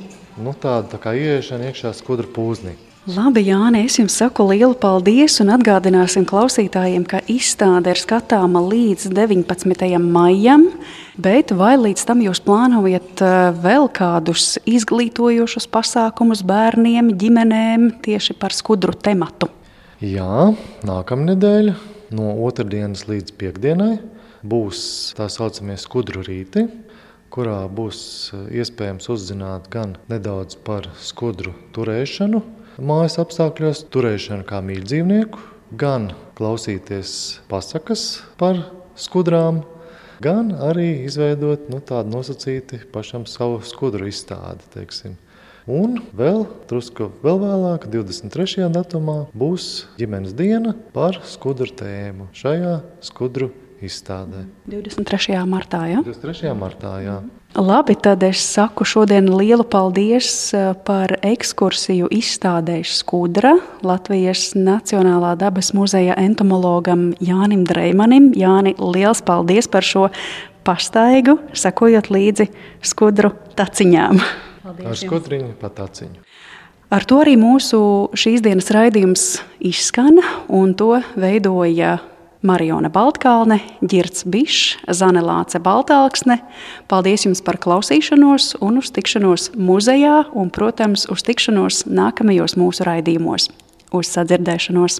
tāda kā ieiešana iekšā skudru pūznī. Labi, Jāni, es jums saku lielu paldies un atgādināsim klausītājiem, ka izstāde ir skatāma līdz 19. maijam, bet vai līdz tam jūs plānojat vēl kādus izglītojošus pasākumus bērniem, ģimenēm tieši par skudru tematu? Jā, nākamnedēļ no otrdienas līdz piekdienai būs tā saucamie skudru rīti, kurā būs iespējams uzzināt gan nedaudz par skudru turēšanu, mājas apstākļos, turēšanu kā mīļdzīvnieku, gan klausīties pasakas par skudrām, gan arī izveidot tādu nosacīti pašam savu skudru izstādi, teiksim. Un vēl vēlāk, 23. datumā, būs ģimenes diena par skudru tēmu šajā skudru izstādē. 23. martā, ja? 23. martā, jā. Labi, tad es saku šodien lielu paldies par ekskursiju izstādēs skudra Latvijas Nacionālā dabas muzeja entomologam Jānim Dreimanim. Jāni, liels paldies par šo pastaigu, sakojot līdzi skudru taciņām. Paldies ar skudriņu pa taciņu. Ar to arī mūsu šīs dienas raidījums izskan, un to veidoja Mariona Baltkalne, Ģirds Bišs, Zane Lāce Baltalksne. Paldies jums par klausīšanos un uz tikšanos muzejā un, protams, uz tikšanos nākamajos mūsu raidījumos. Uz sadzirdēšanos!